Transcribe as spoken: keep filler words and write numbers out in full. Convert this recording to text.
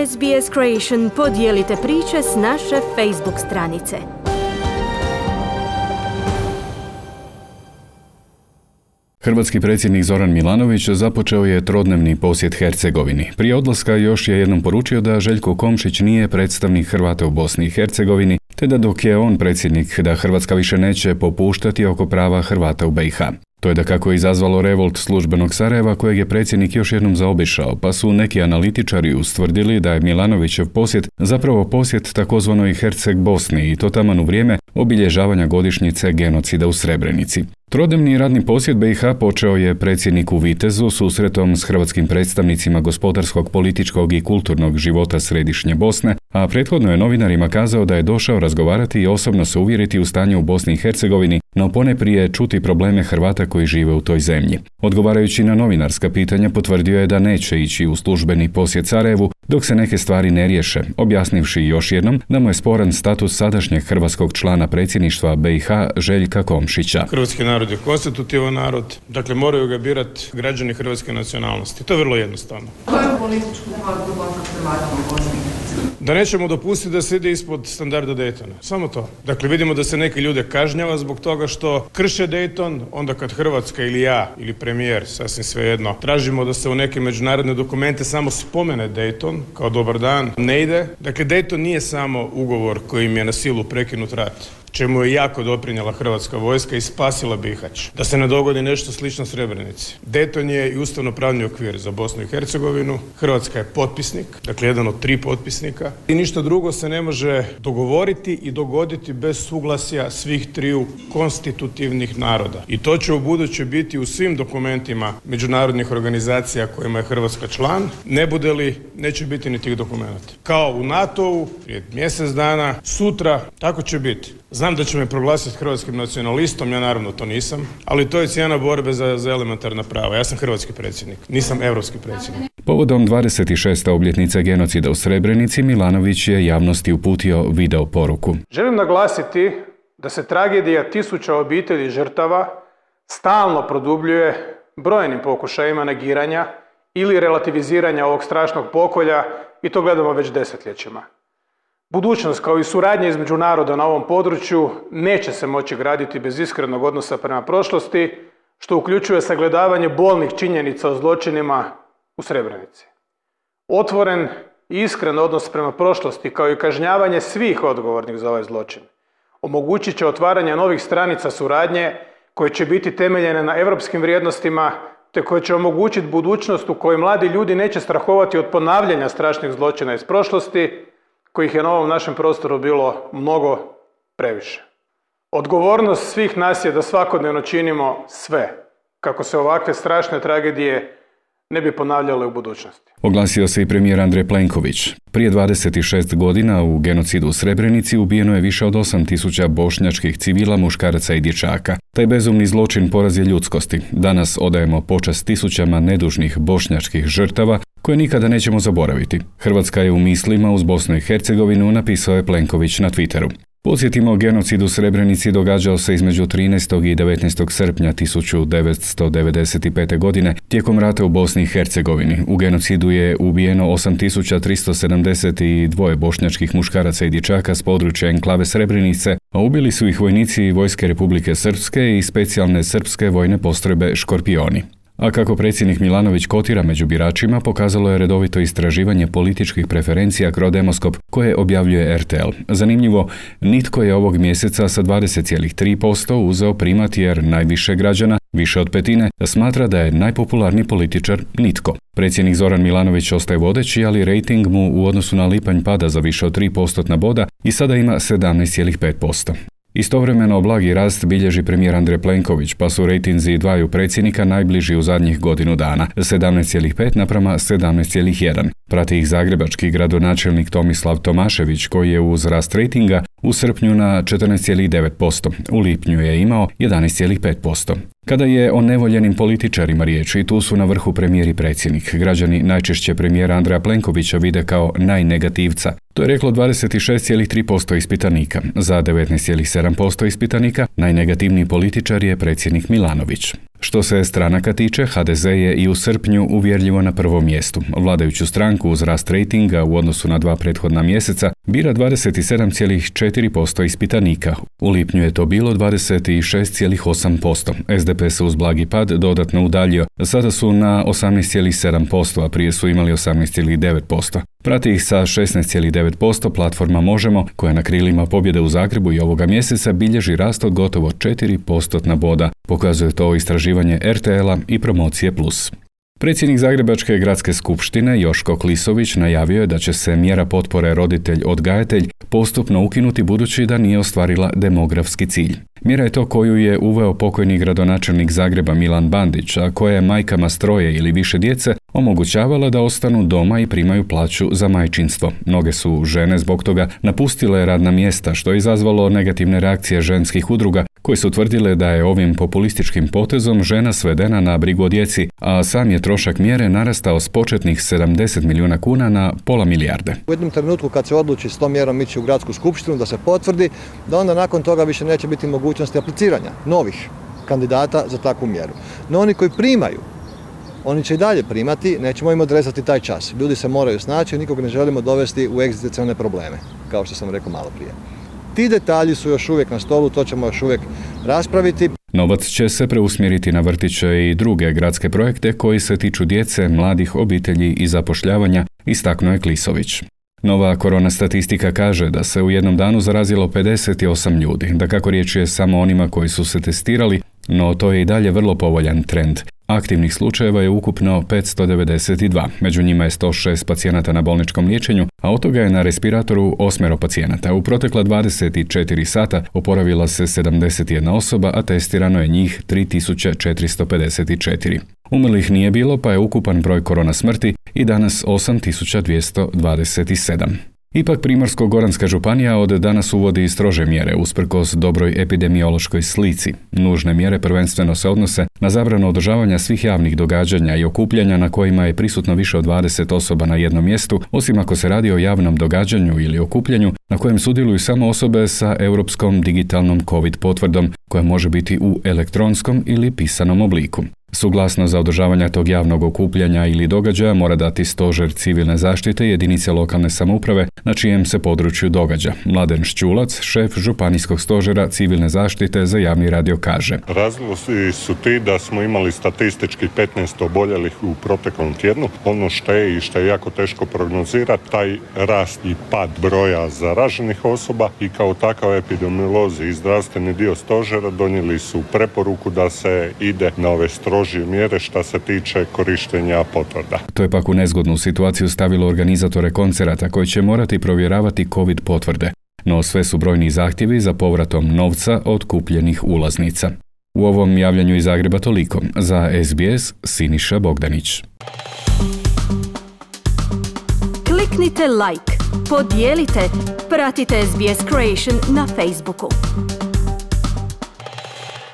S B S Creation podijelite priče s naše Facebook stranice. Hrvatski predsjednik Zoran Milanović započeo je trodnevni posjet Hercegovini. Prije odlaska još je jednom poručio da Željko Komšić nije predstavnik Hrvata u Bosni i Hercegovini, te da dok je on predsjednik da Hrvatska više neće popuštati oko prava Hrvata u B i H. To je dakako izazvalo revolt službenog Sarajeva kojeg je predsjednik još jednom zaobišao, pa su neki analitičari ustvrdili da je Milanovićev posjet zapravo posjet takozvanoj Herceg Bosni i to taman u vrijeme obilježavanja godišnjice genocida u Srebrenici. Trodnevni radni posjet B i H počeo je predsjednik u Vitezu susretom s hrvatskim predstavnicima gospodarskog, političkog i kulturnog života središnje Bosne, a prethodno je novinarima kazao da je došao razgovarati i osobno se uvjeriti u stanje u Bosni i Hercegovini, no poneprije čuti probleme Hrvata koji žive u toj zemlji. Odgovarajući na novinarska pitanja potvrdio je da neće ići u službeni posjet Sarajevu dok se neke stvari ne riješe, objasnivši još jednom da mu je sporan status sadašnjeg hrvatskog člana predsjedništva B i H Željka Komšića. Hrvatski narod je konstitutivan narod, dakle moraju ga birati građani hrvatske nacionalnosti. To je vrlo jednostavno. Koju političku borbu Hrvata u Bosni i Hercegovini? Da nećemo dopustiti da se ide ispod standarda Daytona. Samo to. Dakle, vidimo da se neki ljude kažnjava zbog toga što krše Dayton, onda kad Hrvatska ili ja ili premijer, sasvim svejedno, tražimo da se u neke međunarodne dokumente samo spomene Dayton kao dobar dan, ne ide. Dakle, Dayton nije samo ugovor kojim je na silu prekinut rat, čemu je jako doprinijela hrvatska vojska i spasila Bihać. Da se ne dogodi nešto slično Srebrenici. Dayton je i ustavno-pravni okvir za Bosnu i Hercegovinu. Hrvatska je potpisnik, dakle jedan od tri potpisnika. I ništa drugo se ne može dogovoriti i dogoditi bez suglasja svih triju konstitutivnih naroda. I to će u buduće biti u svim dokumentima međunarodnih organizacija kojima je Hrvatska član. Ne bude li, neće biti ni tih dokumenata. Kao u NATO-u, prije mjesec dana, sutra, tako će biti. Znam da će me proglasiti hrvatskim nacionalistom, ja naravno to nisam, ali to je cijena borbe za, za elementarna prava. Ja sam hrvatski predsjednik, nisam europski predsjednik. Povodom dvadeset šeste obljetnice genocida u Srebrenici, Milanović je javnosti uputio video poruku. Želim naglasiti da se tragedija tisuća obitelji žrtava stalno produbljuje brojnim pokušajima negiranja ili relativiziranja ovog strašnog pokolja i to gledamo već desetljećima. Budućnost kao i suradnja između naroda na ovom području neće se moći graditi bez iskrenog odnosa prema prošlosti, što uključuje sagledavanje bolnih činjenica o zločinima u Srebrenici. Otvoren i iskren odnos prema prošlosti kao i kažnjavanje svih odgovornih za ovaj zločin omogućit će otvaranje novih stranica suradnje koje će biti temeljene na europskim vrijednostima te koje će omogućiti budućnost u kojoj mladi ljudi neće strahovati od ponavljanja strašnih zločina iz prošlosti kojih je na ovom našem prostoru bilo mnogo previše. Odgovornost svih nas je da svakodnevno činimo sve kako se ovakve strašne tragedije ne bi ponavljale u budućnosti. Oglasio se i premijer Andrej Plenković. Prije dvadeset šest godina u genocidu u Srebrenici ubijeno je više od osam tisuća bošnjačkih civila, muškaraca i dječaka. Taj bezumni zločin poraz je ljudskosti. Danas odajemo počast tisućama nedužnih bošnjačkih žrtava koje nikada nećemo zaboraviti. Hrvatska je u mislima uz Bosnu i Hercegovinu, napisao je Plenković na Twitteru. Podsjetimo, genocid u Srebrenici događao se između trinaestog i devetnaestog srpnja tisuću devetsto devedeset pete. godine tijekom rata u Bosni i Hercegovini. U genocidu je ubijeno osam tisuća tristo sedamdeset dva bošnjačkih muškaraca i dječaka s područja enklave Srebrenice, a ubili su ih vojnici Vojske Republike Srpske i specijalne srpske vojne postrojbe Škorpioni. A kako predsjednik Milanović kotira među biračima, pokazalo je redovito istraživanje političkih preferencija Crodemoskop koje objavljuje R T L. Zanimljivo, nitko je ovog mjeseca sa dvadeset zarez tri posto uzeo primat jer najviše građana, više od petine, smatra da je najpopularniji političar nitko. Predsjednik Zoran Milanović ostaje vodeći, ali rejting mu u odnosu na lipanj pada za više od tri postotna boda i sada ima sedamnaest zarez pet posto. Istovremeno blagi rast bilježi premijer Andrej Plenković, pa su rejtinzi dvaju predsjednika najbliži u zadnjih godinu dana, sedamnaest zarez pet naprama sedamnaest zarez jedan. Prati ih zagrebački gradonačelnik Tomislav Tomašević, koji je uz rast rejtinga u srpnju na četrnaest zarez devet posto, u lipnju je imao jedanaest zarez pet posto. Kada je o nevoljenim političarima riječ, i tu su na vrhu premijer i predsjednik. Građani najčešće premijera Andreja Plenkovića vide kao najnegativca. To je reklo dvadeset šest zarez tri posto ispitanika. Za devetnaest zarez sedam posto ispitanika najnegativniji političar je predsjednik Milanović. Što se stranaka tiče, ha de ze je i u srpnju uvjerljivo na prvom mjestu. Vladajuću stranku uz rast rejtinga u odnosu na dva prethodna mjeseca bira dvadeset sedam zarez četiri posto ispitanika. U lipnju je to bilo dvadeset šest zarez osam posto. es de pe se uz blagi pad dodatno udaljio. Sada su na osamnaest zarez sedam posto, a prije su imali osamnaest zarez devet posto. Prati ih sa šesnaest zarez devet posto platforma Možemo, koja na krilima pobjede u Zagrebu i ovoga mjeseca bilježi rast od gotovo četiri postotna boda. Pokazuje to istraživanje er te el-a i Promocije plus. Predsjednik Zagrebačke gradske skupštine Joško Klisović najavio je da će se mjera potpore roditelj-odgajatelj postupno ukinuti budući da nije ostvarila demografski cilj. Mjera je to koju je uveo pokojni gradonačelnik Zagreba Milan Bandić, a koja je majkama s troje ili više djece omogućavala da ostanu doma i primaju plaću za majčinstvo. Mnoge su žene zbog toga napustile radna mjesta, što je izazvalo negativne reakcije ženskih udruga koje su tvrdile da je ovim populističkim potezom žena svedena na brigu o djeci, a sam je trošak mjere narastao s početnih sedamdeset milijuna kuna na pola milijarde. U jednom trenutku kad se odluči s tom mjerom ići u gradsku skupštinu da se potvrdi, da onda nakon toga više neće biti mogućnosti apliciranja novih kandidata za takvu mjeru. No oni koji primaju, oni će i dalje primati, nećemo im odrezati taj čas. Ljudi se moraju snaći, nikog ne želimo dovesti u egzistencijalne probleme, kao što sam rekao malo prije. Ti detalji su još uvijek na stolu, to ćemo još uvijek raspraviti. Novac će se preusmjeriti na vrtiće i druge gradske projekte koji se tiču djece, mladih, obitelji i zapošljavanja, istaknuo je Klisović. Nova korona statistika kaže da se u jednom danu zarazilo pedeset osam ljudi, da kako riječ je samo onima koji su se testirali, no to je i dalje vrlo povoljan trend. Aktivnih slučajeva je ukupno petsto devedeset dva, među njima je sto šest pacijenata na bolničkom liječenju, a od toga je na respiratoru osmero pacijenata. U protekla dvadeset četiri sata oporavila se sedamdeset jedna osoba, a testirano je njih tri tisuće četiristo pedeset četiri. Umrlih nije bilo, pa je ukupan broj korona smrti i danas osam tisuća dvjesto dvadeset sedam. Ipak Primorsko-goranska županija od danas uvodi strože mjere usprkos dobroj epidemiološkoj slici. Nužne mjere prvenstveno se odnose na zabranu održavanja svih javnih događanja i okupljanja na kojima je prisutno više od dvadeset osoba na jednom mjestu, osim ako se radi o javnom događanju ili okupljanju na kojem sudjeluju samo osobe sa europskom digitalnom COVID potvrdom, koja može biti u elektronskom ili pisanom obliku. Suglasnost za održavanje tog javnog okupljanja ili događaja mora dati stožer civilne zaštite jedinice lokalne samouprave na čijem se području događa. Mladen Šćulac, šef županijskog stožera civilne zaštite za javni radio, kaže: Razlozi su ti da smo imali statistički petnaest oboljelih u proteklom tjednu. Ono što je i što je jako teško prognozirati, taj rast i pad broja zaraženih osoba, i kao takav epidemiolozi i zdravstveni dio stožera donijeli su preporuku da se ide na ove strože mjere što se tiče korištenja potvrda. To je pak u nezgodnu situaciju stavilo organizatore koncerata koji će morati provjeravati COVID potvrde, no sve su brojni zahtjevi za povratom novca od kupljenih ulaznica. U ovom javljanju iz Zagreba toliko. Za es be es, Siniša Bogdanić. Kliknite like, podijelite, pratite es be es Creation na Facebooku.